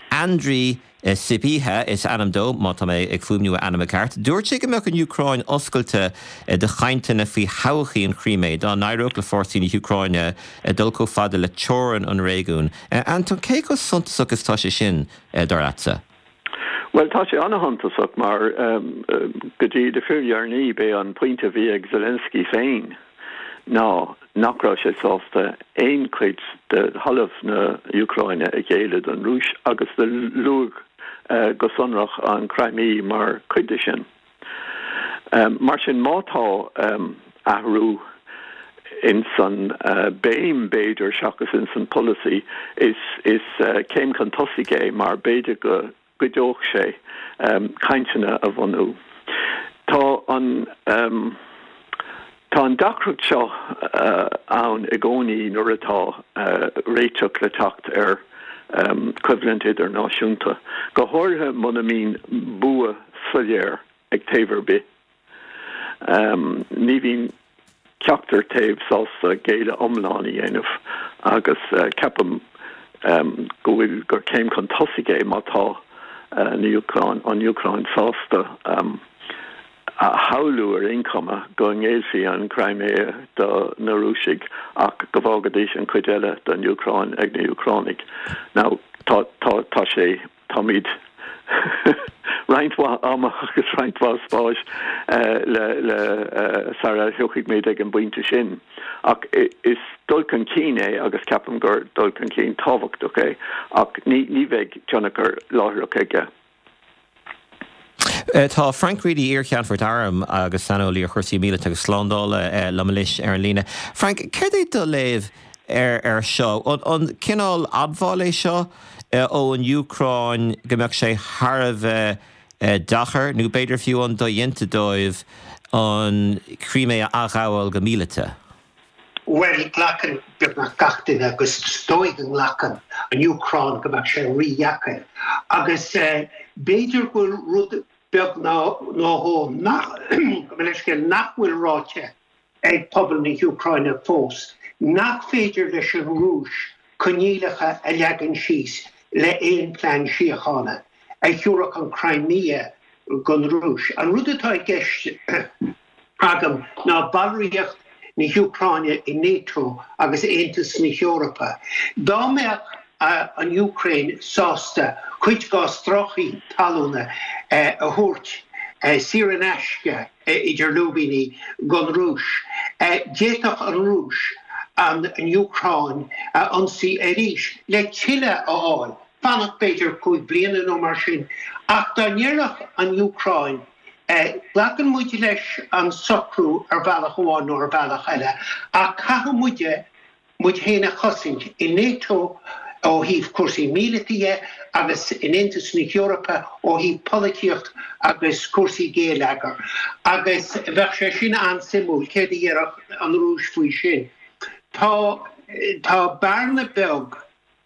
Speaker 1: Andriy Sybiha is ainm dó, má tá mé ag fuaimniú a ainm i gceart, dúirt sé go mbeadh an Úcráin oscailte do chainteanna faoi thodhchaí an Chrímé dá n-éireodh le fórsaí na hÚcráine dul chomh fada le teorainn an réigiúin. Anton, cé chomh suntasach is atá sé sin, dar leatsa?
Speaker 5: Bhuel, tá sé an-shuntasach mar go dtí le fíordheireanaí b'é an pointe a bhí ag Zelensky féin ná nach raibh sé sásta aon chuid de thalamh na Úcráine a ghéilleadh don Rúis agus do luadh go sonrach an Crimea mar chuid de sin. Mar sin má tá athrú ins an béim b'fhéidir seachas ins an polasaí is céim chun tosaigh é mar b'fhéidir go gcuideodh sé cainteanna a bhunú. Tá an Tá an deacracht seo ann i gcónaí nuair atá réiteach le teacht ar choimhlint idirnáisiúnta, go háirithe muna mbíonn bua soiléir ag taobh ar bith. Ní bhíonn ceachtar taobh sásta géilleadh iomlán a dhéanamh agus ceapaim go bhfuil gur céim chun tosaigh é má tá an Úcráin sásta a shamhlú ar aon chuma go ngéillfí an Chrimea do na Rúisigh ach go bhfágfaidís an chuid eile den Úcráin ag na hÚcránaigh. Now tá tá tá sé táimid roinnt mhaith ama agus roinnt mhaith spáis le le sara thiocfaidh muid ag an bpointe sin. Ach is dul chun cinn é agus ceapaim gur dul chun cinn tábhachtach é ach ní ní bheidh tionchar láithreach aige.
Speaker 1: Tá Frank Reidy, iar-Cheannfort Airm agus saineolaí ar chúrsaí míleata agus slándála, liom anois ar an líne. Frank, céard é do léamh ar seo? An cineál admháil é seo ón Úcráin go mbeadh sé thar a bheith deacair, nó b'fhéidir fiú an dodhéanta dóibh an Chrímé a athghabháil go míleata?
Speaker 6: Bhuel, glacann beagnach gach duine, agus is dóigh go nglacann an Úcráin, go mbeadh sé rídheacair. Agus b'fhéidir go bhfuil rud beag nó dhó nach, gabh mo leithscéal, nach bhfuil ráite ag pobal na hÚcráine fós, nach féidir leis an Rúis coinníollacha a leagan síos le aon plean síochána a thiúrfadh an Crimea don Rúis. An rud atá i gceist agam ná ballraíocht na hÚcráine i NATO agus Aontas na hEorpa. Dá mbeadh an Úcráin sásta cuid dá stráicí talúna a thabhairt saor in aisce, idir lúibíní, don Rúis, d'fhéadfadh an Rúis an Úcráin a ionsaí arís le tuilleadh a fháil, fanacht b'fhéidir 5 bliana nó mar sin. Ach dá ndéarfadh an Úcráin, Glacann muid leis an socrú ar bhealach amháin nó ar bhealach eile, ach caithfidh muide muid féin a chosaint i NATO ó thaobh cúrsaí míleata dhe agus in Aontas na hEorpa ó thaobh polaitíocht agus cúrsaí géilleagair. Agus bheadh sé sin an-suimiúil, céard a dhéarfadh an Rúis faoi sin. Tá tá bearna beag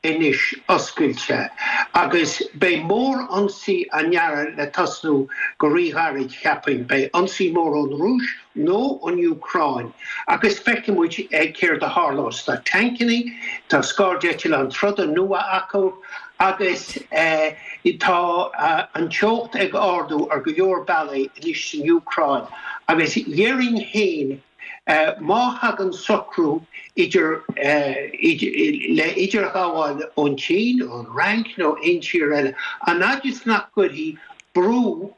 Speaker 6: anois oscailte agus beidh mór-ionsaí á ndearadh le tosnú go ríghairid, cheapfainn. Beidh ionsaí mór ón Rúis nó ón Úcráin agus feicfidh muid céard a tharlós. Tá tancannaí, tá scairdeitleáin troda nua acu agus tá an teocht ag ardú ar go leor bealaí anois san Úcráin agus dhéarfainn féin Má thagann socrú idir le idirghabháil ón tSín, ón Fhrainc nó aon tír eile, an fhaid is nach gcuirfidh brú,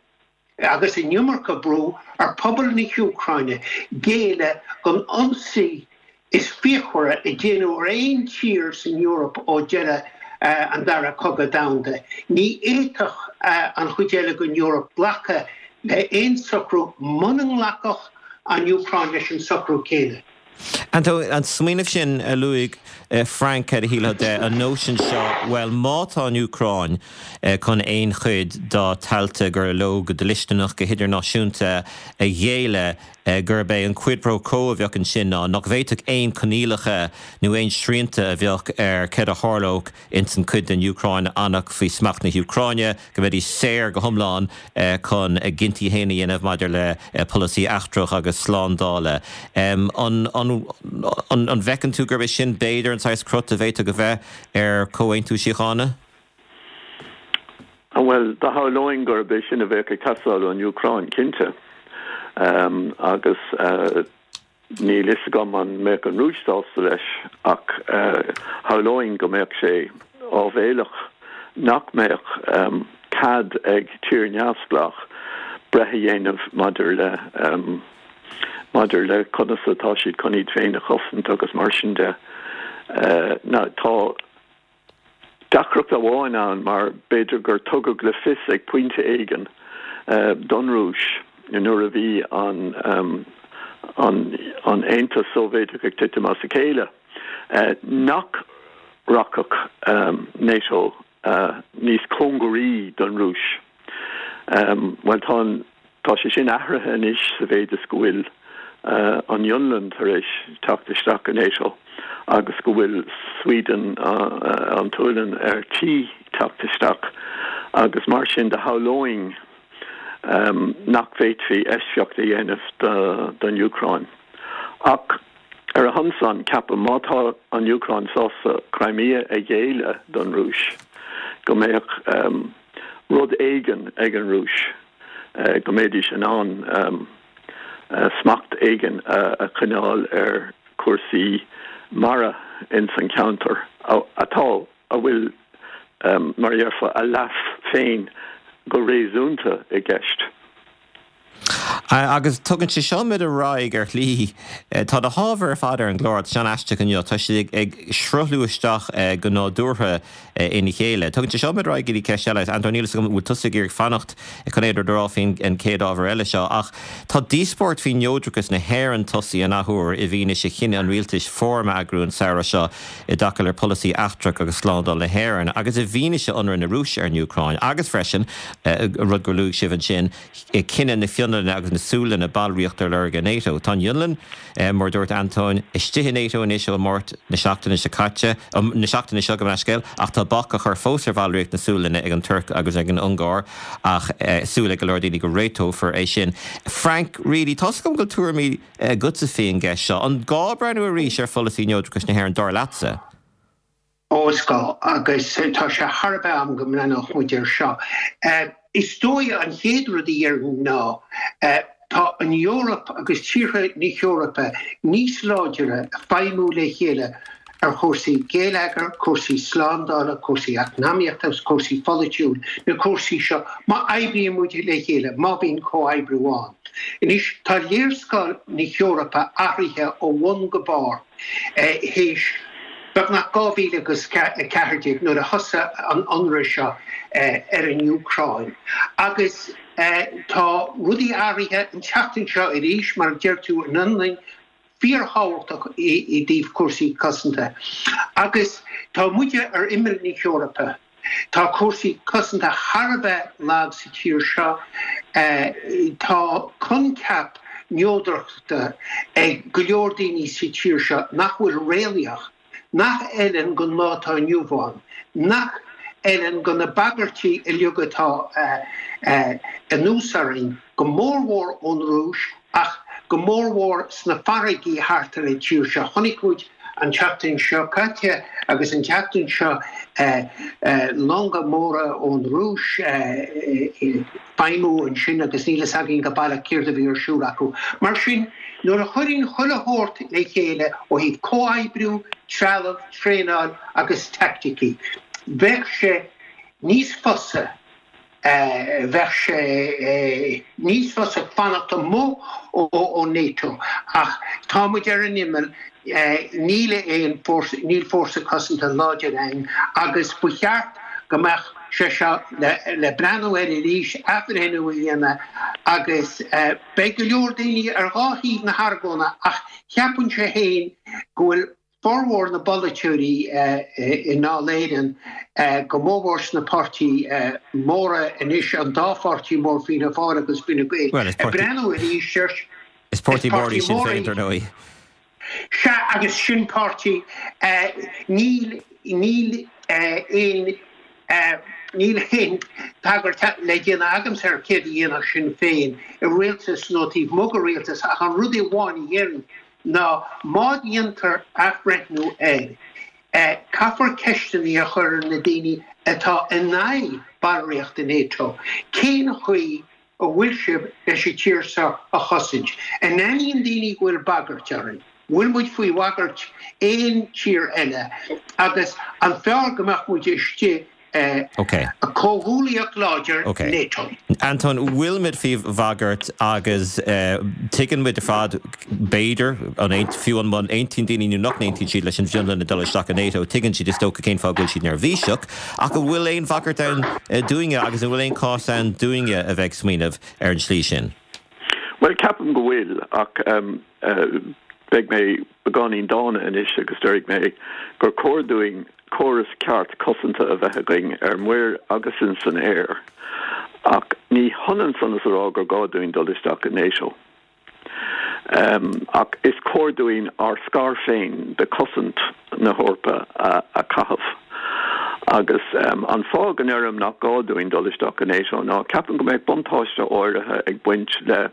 Speaker 6: agus an iomarca brú, ar phobal na hÚcráine géilleadh don ionsaí is fíochmhaire a déanadh ar aon tír san Eoraip ó deireadh an Dara Cogadh Domhanda, ní fhéadfadh an chuid eile den Eoraip glacadh le haon socrú muna nglacfadh an Úcráin leis an socrú céanna.
Speaker 1: Antóin, an smaoineamh sin a luaigh Frank, cad a shílfeá de, an nóisean seo, bhuel, má tá an Úcráin chun aon chuid dá tailte gur leo go dlisteanach, go hidirnáisiúnta a ghéilleadh, gurb é an quid pro quo a bheadh ansin ná nach bhféadfadh aon choinníollacha nó aon srianta a bheadh ar céard a tharlódh ins an chuid den Úcráin a fhanfadh faoi smacht na hÚcráine, go mbeidís saor go hiomlán chun a gcinntí féin a dhéanamh maidir le polasaí eachtrach agus slándála. An bhfeiceann tú gurb é sin b'fhéidir an saghas crot a bhféadfadh a bheith ar chomhaontú síochána?
Speaker 5: Bhuel, do shamhlóinn gurb é sin a bheadh ag teastáil ón Úcráin, cinnte. Agus níl fhios agam an mbeadh an Rúis sásta leis, ach shamhlóinn go mbeadh sé áibhéileach nach mbeadh cead ag tír neamhspleách breith a dhéanamh maidir le maidir le conas atá siad chun iad féin a chosaint agus mar sin de. Now, tá. Deacracht amháin ann mar b'fhéidir gur tugadh le fios ag pointe éigin don Rúis nuair a bhí an an Aontas Sóivéadach ag titim as a chéile nach rachadh NATO níos cóngaraí don Rúis. Bhuel tá an Tá sé sin athraithe anois sa mhéid is go bhfuil an Fhionlainn tar éis teacht isteach i NATO agus go bhfuil Sweden, an tSualainn, ar tí teacht isteach agus mar sin de shamhlóinn nach bhféadfaí eisceacht a dhéanamh don Úcráin. Ach ar a shon san, ceapaim, má tá an Úcráin sásta Crimea a ghéilleadh don Rúis, go mbeadh rud éigin ag an Rúis go mbeidís in ann smacht éigin a choinneáil ar chúrsaí mara ins an cheantar atá, a bhfuil, mar a dhéarfá, a leas féin go réasúnta i gceist.
Speaker 1: Agus tugann sé seo muid ar aghaidh ar shlí. Tá na hábhair ar fad ar an gclár, tá sé an-aisteach inniu, tá siad ag sruthlú isteach go nádúrtha ina chéile. Tugann sé seo muid ar aghaidh go dtí ceist eile. Antóin, níl a fhios agam an bhfuil tusa ag iarraidh fanacht chun aon rud a rá faoin chéad ábhar eile seo, ach tá díospóireacht faoi neodrachas na hÉireann tosaithe an athuair i bhfianaise chinneadh an rialtais fóram a eagrú an samhradh seo i dtaca le polasaí eachtrach agus slándála na hÉireann agus i bhfianaise ionradh na Rúise ar an Úcráin agus freisin, rud gur luaigh sibh ansin, cinneadh na Fionlainne agus na Sualainne ballraíocht a lorg i NATO. Tá an Fhionlainn, mar a dúirt Antóin, istigh i NATO anois ó Mháirt na seachtaine seo caite, na seachtaine seo, gabh mo leithscéal, ach tá bac á chur fós ar bhallraíocht na Sualainne ag an Tuirc agus ag an Ungáir ach súil ag go leor daoine go réiteofar é sin. Frank Reidy, tá's agam go bhfuil tuairimí agatsa faoin gceist seo. An gá breathnú arís ar pholasaí neodrachais na hÉireann, dar leatsa?
Speaker 6: Ó, is gá, agus tá sé thar a bheith am go mbreathnódh muid air seo. Is dóigh an chéad rud a dhéarfainn ná tá an Eoraip agus tíortha na hEorpa níos láidre ag feidhmiú le chéile ar chúrsaí geilleagair, cúrsaí slándála, cúrsaí eacnamaíochta agus cúrsaí pholaitiúil, na cúrsaí seo, má oibríonn muid le chéile, má bhíonn comhoibriú ann. Anois, tá léarscáil na hEorpa athraithe ó bhun go barr théis beagnach 2014 nuair a thosaigh an ionradh seo ar an Úcráin agus tá rudaí athraithe an tseachtain seo arís, mar a deir tú, an Fhionlainn, fíorthábhachtach i dtaobh cúrsaí cosanta. Agus tá muide ar imeall na hEorpa. Tá cúrsaí cosanta thar a bheith lag sa tír seo. Tá coincheap neodrachta ag go leor daoine sa tír seo nach bhfuil réalaíoch. nach fheileann don lá atá inniu ann, nach fheileann do na bagairtí uilig atá anuas orainn, go mórmhór ón Rúis ach go mórmhór sna farraigí thart ar an tír seo. Chonaic muid an tseachtain seo caite agus an tseachtain seo longa móra ón Rúis ag feidhmiú ansin agus níl fhios againn go baileach céard a bhí ar siúl acu. Mar sin, nuair a chuireann chuile shórt le chéile ó thaobh comhoibriú, trealamh, traenáil agus teaicticí, bheadh sé níos fusa, bheadh sé níos fusa fanacht amuigh ó NATO. Ach tá muid ar an imeall, níl aon fórsa, níl fórsa cosanta láidir againn agus ba cheart go mbeadh. sé seo le breathnú air arís, athbhreithniú a dhéanamh agus beidh go leor daoine ar dhá thaobh na hargóna ach cheapfainnse féin go bhfuil formhór na bpolaiteoirí i nDáil Éireann, go mórmhór sna páirtí móra anois, an dá pháirtí mór, Fianna Fáil agus Fine Gael, ag breathnú arís
Speaker 1: ar. Is páirtí mór í Sinn Féin, dar ndóigh.
Speaker 6: Sea, agus sin páirtí, níl, níl aon, níl aon tagairt le déanamh agamsa ar céard a dhéanfadh Sinn Féin i rialtas nó taobh amuigh de rialtas ach an rud amháin a dhéarfainn ná má dhéantar athbhreithniú air, caithfear ceisteanna a chur ar na daoine atá in aghaidh ballraíocht i NATO, cén chaoi a bhfuil sibh leis an tír seo a chosaint? An aithníonn daoine go bhfuil bagairt orainn? Bhfuil muid faoi bhagairt aon tír eile? Agus an fearr go mbeadh muid istigh i comhghuaillíocht láidir NATO?
Speaker 1: Antóin, bhfuil muid faoi bhagairt agus tuigeann muid ar fad, b'fhéidir, an fiú an aontaíonn daoine nó nach n-aontaíonn siad leis an bhFionlainn ag dul isteach i NATO, tuigeann siad is dócha cén fáth go bhfuil siad neirbhíseach. Ach an bhfuil aon bhagairt ann dúinne agus an bhfuil aon chás ann dúinne a bheith ag smaoineamh ar an tslí sin?
Speaker 5: Bhuel, ceapaim go bhfuil, ach beidh mé beagáinín dána anois agus déarfaidh mé gur cóir dúinn córas ceart cosanta a bheith againn ar muir agus in san aer, ach ní hionann san is a rá gur gá dúinn dul isteach i NATO. Ach is cóir dúinn ár scair féin de chosaint na hEorpa a chaitheamh. Agus an fáth go ndeirim nach gá dúinn dul isteach i NATO ná ceapaim go mbeadh buntáiste áirithe ag baint le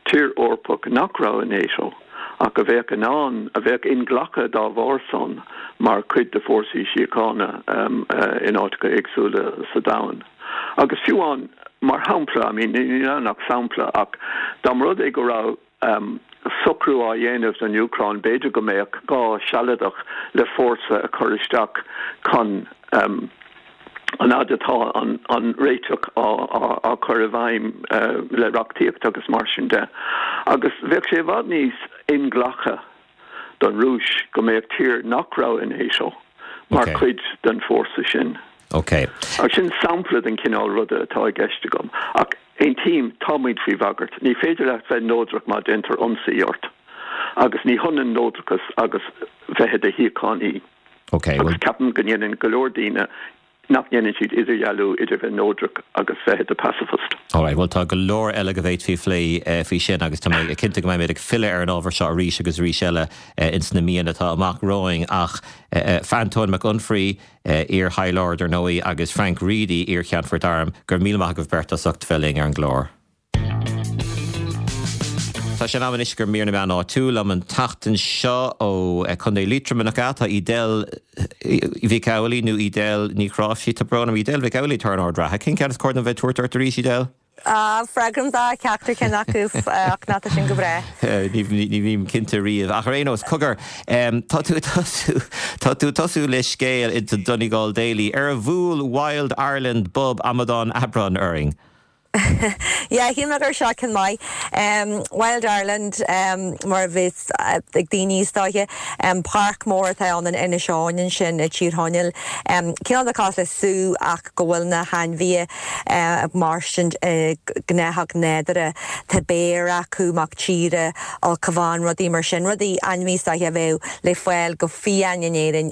Speaker 5: tír Eorpach nach raibh i NATO ach a bheadh in ann, a bheadh inghlactha dá bharr san mar chuid de fórsaí síochána in áiteacha éagsúla sa domhan. Agus fiú amháin, mar shampla, I mean, níl ann ach sampla, ach dá mba rud é go raibh socrú á dhéanamh don Úcráin, b'fhéidir go mbeadh gá sealadach le fórsa a chur isteach chun an fhad atá an réiteach á chur i bhfeidhm le reachtaíocht agus mar sin de. Agus bheadh sé i bhfad níos inghlactha don Rúis go mbeadh tír nach raibh i NATO mar chuid den fórsa sin.
Speaker 1: Ok.
Speaker 5: Ach sin sampla den chineál ruda atá i gceist agam. Ach aontaím, tá muid faoi bhagairt. Ní féidir leat bheith neodrach má déantar ionsaí ort. Agus ní hionann neodrachas agus bheith i do shíochánaí.
Speaker 1: Ok,
Speaker 5: Agus ceapaim go ndéanann go leor daoine nach ndéanann siad idirdhealú idir bheith neodrach agus bheith i do pacifist.
Speaker 1: Alright, bhuel tá go leor eile go bhféadfaí a phlé faoi sin agus tá mé cinnte go mbeimid ag filleadh ar an ábhar seo arís agus arís eile ins na míonna atá amach romhainn ach Antóin Mac Unfraidh, iar-High Lord ar ndóigh agus Frank Reidy, iar-Cheannfort Airm, go raibh míle maith agaibh beirt as ucht bheith linn ar an gclár. Tá sé in am anois do mhír na meán áitiúil liom an tseachtain seo ó Chontae Liatroma nach ea? Tá Edel Mhic Amhlaigh nó Edel Ní Chráimhsí, tá brón orm, Edel Mhic Amhlaigh atá ar an ord reatha. Cén ceann is cóir dom bheith ag tabhairt ort arís, Edel?
Speaker 7: Ah, freagraím do cheachtar ceann acu ach ná tá sin go breá.
Speaker 1: Ní bhím cinnte riamh. Ach ar aon nós, cogar, tá tú ag tosú, tá tú ag tosú le scéal in The Donegal Daily ar bhuail Wild Ireland bob amadán Aibreáin orainn.
Speaker 7: Yeah, shíl mé gur seo ceann maith. Wild Ireland, mar a bheas ag daoine is dóiche. Páirc mór atá ann in Inis Eoghain ansin i dTír Chonaill. Cineál de cosúil le sú ach go bhfuil na hainmhithe ag mairstint i ngnáthóg nádúrtha. Tá béar acu, mac tíre, ulchabhán, rudaí mar sin. Rudaí, ainmhí is dóiche a bheadh le fáil go fiáin in Éirinn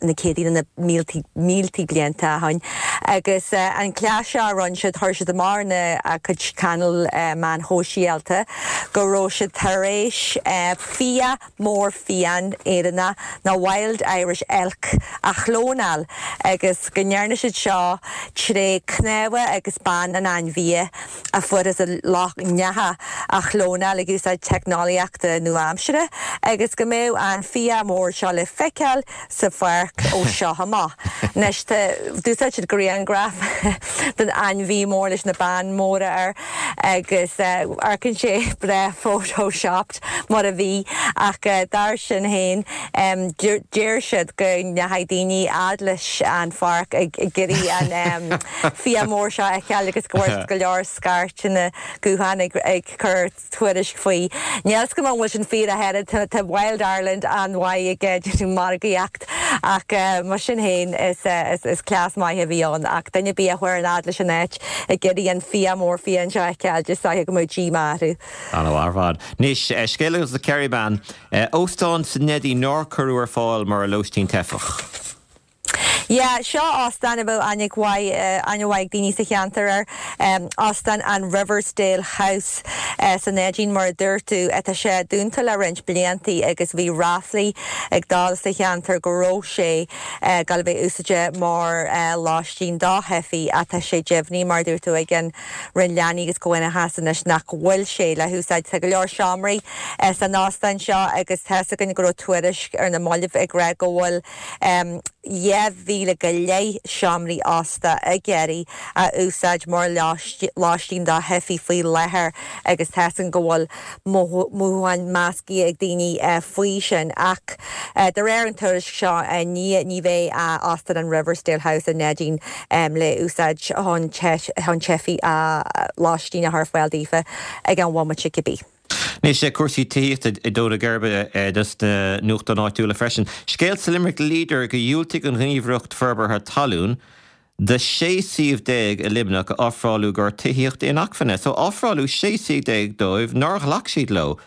Speaker 7: na céadtaí nó na míltí, míltí blianta ó shin. Agus an cleas seo a rinne siad, chuir siad amach ar na cuid cainéal meáin shóisialta go raibh siad tar éis fia mór fiáin Éireannach nó Wild Irish Elk a chlónáil agus go ndearna siad seo tré cnámha agus bonn an ainmhí a fuarthas i Loch nEathach a chlónáil ag úsáid teicneolaíochta nua-aimseartha agus go mbeadh an fia mór seo le feiceáil sa pháirc ó seo amach. Anois tá, d'úsáid siad grianghraf den ainmhí mór leis na boinn mhóra air agus amharcann sé breá photoshopped mar a bhí ach dar sin féin deir siad go ndeachaigh daoine fhad leis an pháirc ag iarraidh an fia mór seo a fheiceáil agus go bhfuair siad go leor scairteanna gutháin ag cur tuairisc faoi. Níl 'fhios agam an bhfuil sin fíor ach oiread, tá Wild Ireland an-mhaith ag déanamh margaíocht. Ach mar sin féin is cleas maith a bhí ann ach duine ar bith a chuaigh an fhad leis an áit ag iarraidh an fia mór fiáin seo a fheiceáil, is dóiche go mbeadh díomá orthu.
Speaker 1: An-mhaith ar fad. Anois, scéal as an Kerryman. Óstán sa Neidín nár cuireadh ar fáil mar lóistín teifeach.
Speaker 7: Yeah, seo óstán a bheadh aithne mhaith, aithne mhaith ag daoine sa cheantar air. Óstán an Riversdale House sa Neidín mar a dúirt tú. Tá sé dúnta le roinnt bliantaí agus bhí ráflaí ag dul sa cheantar go raibh sé ag dul a bheith úsáidte mar lóistín do theifigh ach tá sé deimhnithe mar a dúirt tú ag an Roinn Leanaí agus Comhionannais anois nach bhfuil sé le húsáid. Tá go leor seomraí san óstán seo agus tá's againn go raibh tuairisc ar na mallaibh ag rá go bhfuil 2,000 go leith seomraí ósta ag iarraidh a úsáid mar lóistín do theifigh faoi láthair agus tá's againn go bhfuil mothúcháin measctha ag daoine faoi sin ach de réir an tuairisc seo ní ní bheidh Óstán an Riversdale House i Neidín le úsáid chun teifigh lóistín a chur ar fáil daofa ag an bhomaite cibé.
Speaker 1: Anois, cúrsaí tithíochta ag dó na geirbe dos na nuachtáin áitiúla freisin. Scéal sa Limerick Leader gur dhiúltaigh an Ghníomhaireacht Forbartha Talún do 16 suíomh i Luimneach a ofráladh i gcomhair tithíocht inacmhainne. So ofráladh 16 suíomh dóibh nár ghlac siad leo.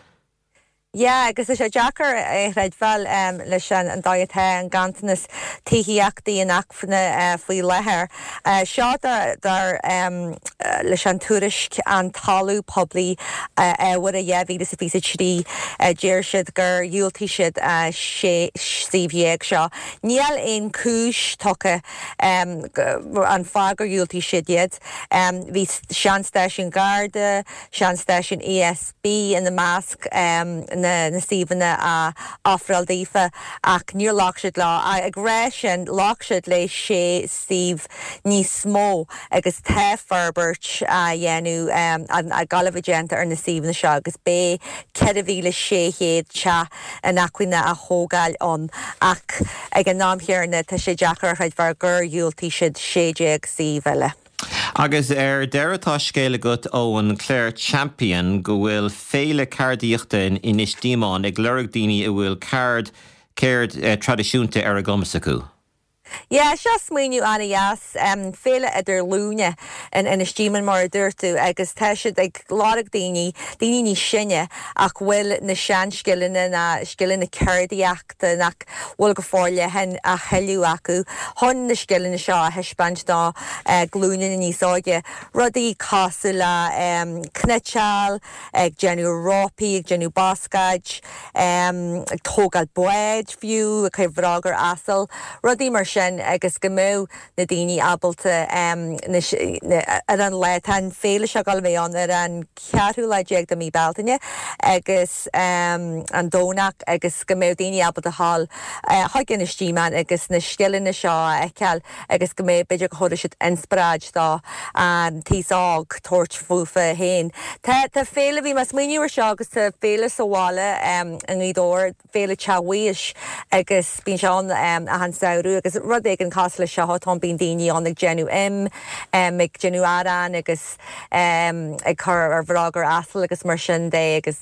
Speaker 7: Yeah, agus tá sé deacair é a chreidbheáil leis an dóigh atá an ganntanas tithíochtaí inacmhainne faoi láthair. Seo dar leis an tuairisc An Talamh Poiblí Fhómhair 2023. Deir siad gur dhiúltaigh siad 16 suíomh seo. Níl aon chúis tugtha an fáth gur dhiúltaigh siad iad. Bhí seanstáisiún Garda, seanstáisiún ESB ina measc na suíomhanna a ofráladh daofa ach níor ghlac siad leo. Ag rá sin, ghlac siad le sé suíomh níos mó agus tá forbairt á dhéanamh, ag gabháil a bheith déanta ar na suíomhanna seo agus beidh 4,600 teach inacmhainne á thógáil ann ach ag an am chéanna tá sé deacair a chreidbheáil gur dhiúltaigh siad 16 suíomh eile.
Speaker 1: Agus ar deireadh tá scéal agat ón Clare Champion go bhfuil féile ceardaíochta in Inis Díomáin ag lorg daoine a bhfuil ceard, ceird traidisiúnta ar a gcumas acu.
Speaker 7: Yeah, seo smaoineamh an-dheas, féile idir ghlúine in Inis Díomáin mar a dúirt tú agus tá siad ag lorg daoine, daoine níos sine ach bhfuil na seanscileanna ná scileanna ceardaíochta nach bhfuil go forleathan a thuilleadh acu chun na scileanna seo a thaispeáint do ghlúine níos óige. Rudaí cosúil le cniotáil, ag déanamh rópaí, ag déanamh bascáid, ag tógáil báid fiú, ag cur bhróg ar asal, rudaí mar sin agus go mbeadh na daoine ábalta ar an lá, tá an féile seo ag dul a bheith ann ar an. ceathrú lá déag de mí Bealtaine agus an Domhnach agus go mbeadh daoine ábalta dhul chuig Inis Díomáin agus na scileanna seo a fheiceáil agus go mbeadh, b'fhéidir go thabharfadh siad inspioráid do an t-aos óg tabhairt fúthu féin. Tá, tá féile, bhí mé ag smaoineamh ar seo agus tá féile sa bhaile i nGaoth Dobhair, Féile Teach Mhaois agus bíonn sé ann achan samhradh agus rud éigin cosúil leis seo atá ann, bíonn daoine ann ag déanamh im, ag déanamh arán agus ag cur ar bhróg ar asal agus mar sin de agus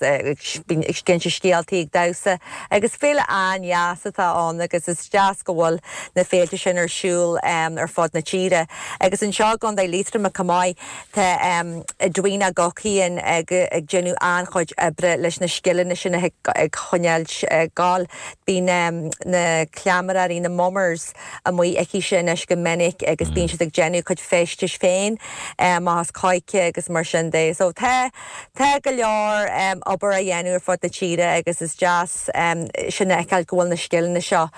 Speaker 7: bíonn ag inse scéaltaí, ag damhsa agus féile an-dheas atá ann agus is deas go bhfuil na féilte sin ar siúl ar fud na tíre. Agus anseo i gContae Liatroma chomh maith Tá Edwina Guckian ag déanamh an-chuid oibre leis na scileanna sin a choinneáil ag gabháil. Bíonn na cleamaireoirí, na mummers, amuigh aici anois go minic agus bíonn siad ag déanamh a gcuid feistis féin amach as coirce agus mar sin de. So tá tá go leor obair á dhéanamh ar fud na tíre agus is deas sin a fheiceáil go bhfuil na scileanna seo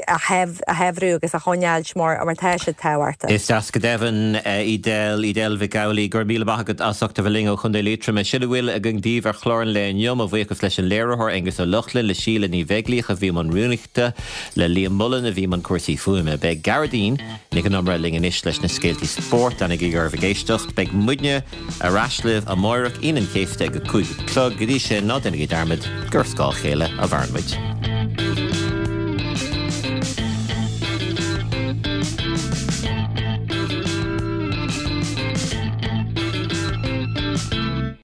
Speaker 7: a shaibhriú agus a choinneáilt mar tá siad tábhachtach.
Speaker 1: Is deas go deimhin, Edel, Edel Mhic Amhlaigh, go raibh míle maith agat as ucht a bheith linn ó Chontae Liatroma. Sin a bhfuil againn daoibh ar chlár an lae inniu. Mo bhuíochas leis an léiritheoir, Aengus Ó Lochlainn, le Síle Ní Bheaglíoch a bhí i mbun rúnaíochta, le Liam Mullen a bhí i mbun cúrsaí fuaime. Beidh Gearóidín Nic an Iomaire linn anois leis na scéaltaí spóirt. Leanaigí oraibh ag éisteacht. Beidh muidne ar ais libh amáireach, Aoine an Chéasta ag a 5 a chlog. Go dtí sin, ná déanaigí dearmad gur ar scáth a chéile a mhaireann muid.